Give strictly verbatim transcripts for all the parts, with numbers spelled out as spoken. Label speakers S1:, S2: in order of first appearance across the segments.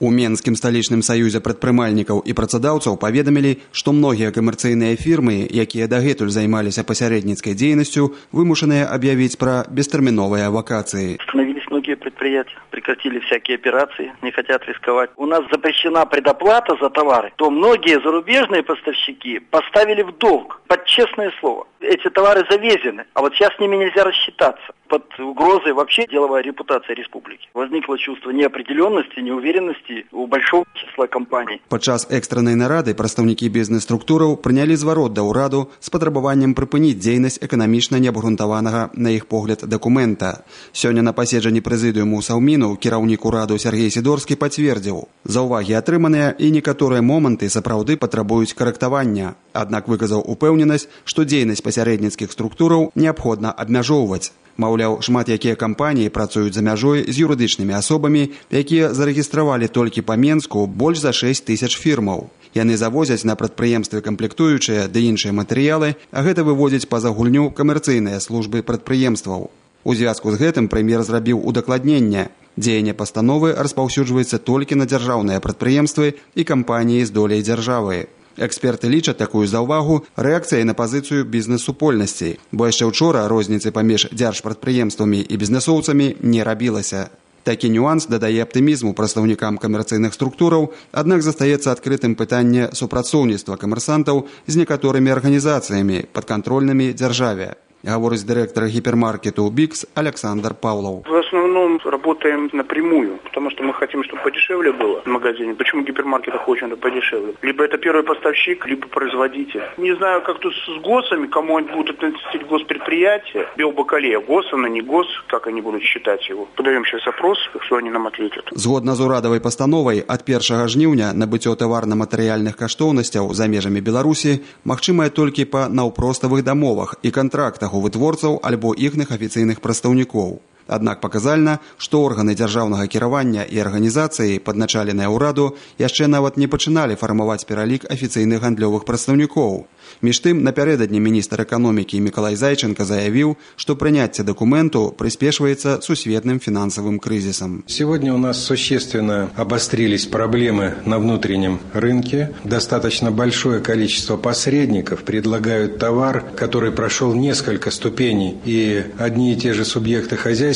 S1: У Менскім сталічным саюзе прадпрымальнікаў і працадаўцаў паведамілі, што многія камерцыйныя фірмы, якія дагэтуль займаліся пасярэдніцкай дзейнасцю, вымушаныя аб'явіць пра бестэрміновыя вакацыі.
S2: Остановились многие предприятия, прекратили всякие операции, не хотят рисковать. У нас запрещена предоплата за товары, то многие зарубежные поставщики поставили в долг, под честное слово. Эти товары завезены, а вот сейчас с ними нельзя рассчитаться. Под угрозой вообще деловая репутация республики. Возникло чувство неопределенности, неуверенности у большого числа компаний.
S1: Падчас экстраннай нарады прадстаўнікі бізнес-структураў прынялі зварот да ўраду з патрабаваннем прыпыніць дзейнасць эканамічна неабгрунтаванага, на іх погляд, дакумента. Сёння на паседжанні прэзідыуму Саўміну кіраўнік ураду Сергей Сідорскі пацвердзіў: заўвагі атрыманыя і некаторыя моманты сапраўды патрабуюць карэктавання. Аднак выказаў упэўненасць, што дзейнасць пасярэдніцкіх структураў неабходна абмяжоўваць. Маўляў, шмат якія кампаніі працуюць за мяжой з юрыдычнымі асобамі, якія зарэгістравалі толькі па Менску больш за шэсць тысяч фірмаў. Яны завозяць на прадпрыемствы камплектуючыя ды іншыя матэрыялы, а гэта выводзіць па-за гульню камерцыйныя службы прадпрыемстваў. У звязку з гэтым прэм'ер зрабіў удакладненне. Дзеянне пастановы распаўсюджваецца толькі на дзяржаўныя прадпрыемствы і кампаніі з доляй дзяржавы. Эксперты лічаць такую заўвагу рэакцыяй на пазіцыю бізнес-супольнасці, бо яшчэ ўчора розніцы паміж дзяржпрадпрыемствамі і бізнесоўцамі не рабілася. Такі нюанс дадае аптымізму прадстаўнікам камерцыйных структураў, аднак застаецца адкрытым пытанне супрацоўніцтва камерсантаў з некаторымі арганізацыямі, падкантрольнымі дзяржаве. Говорит директор гипермаркета «Бикс» Александр Павлов.
S3: В основном работаем напрямую, потому что мы хотим, чтобы подешевле было в магазине. Почему в гипермаркетах очень подешевле? Либо это первый поставщик, либо производитель. Не знаю, как тут с ГОСами, кому они будут относить госпредприятия. Биобакалея, ГОС, она не ГОС, как они будут считать его. Подаем сейчас опрос, что они нам ответят.
S1: Згодна з урадавай пастановай, ад першага жніўня набыццё таварна-матэрыяльных каштоўнасцяў за межамі Беларусі магчымае толькі па наўпроставых дамовах і кантрактах у вытворцаў альбо іхных афіцыйных прадстаўнікоў. Аднак паказальна, што органы дзяржаўнага кіравання і арганізацыі, падначаленыя ўраду, яшчэ нават не пачыналі фармаваць пералік афіцыйных гандлёвых прадстаўнікоў. Між тым, напярэдадні міністр эканомікі Мікалай Зайченка заявіў, што прыняцце дакументу прыспешваецца сусветным фінансавым крызисом.
S4: Сегодня у нас существенно обострились проблемы на внутреннем рынке. Достаточно большое количество посредников предлагают товар, который прошел несколько ступеней, и одни и те же субъекты хозяйствования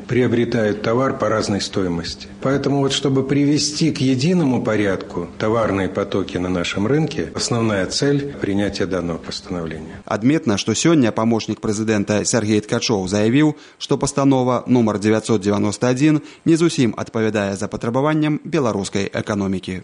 S4: приобретают товар по разной стоимости. Поэтому вот чтобы привести к единому порядку товарные потоки на нашем рынке, основная цель – принятие данного постановления.
S1: Адметна, што сёння памочнік прэзідэнта Сергей Ткачоў заявіў, што пастанова нумар девятьсот девяносто один не зусім адпавядае запатрабаванням беларускай эканомікі.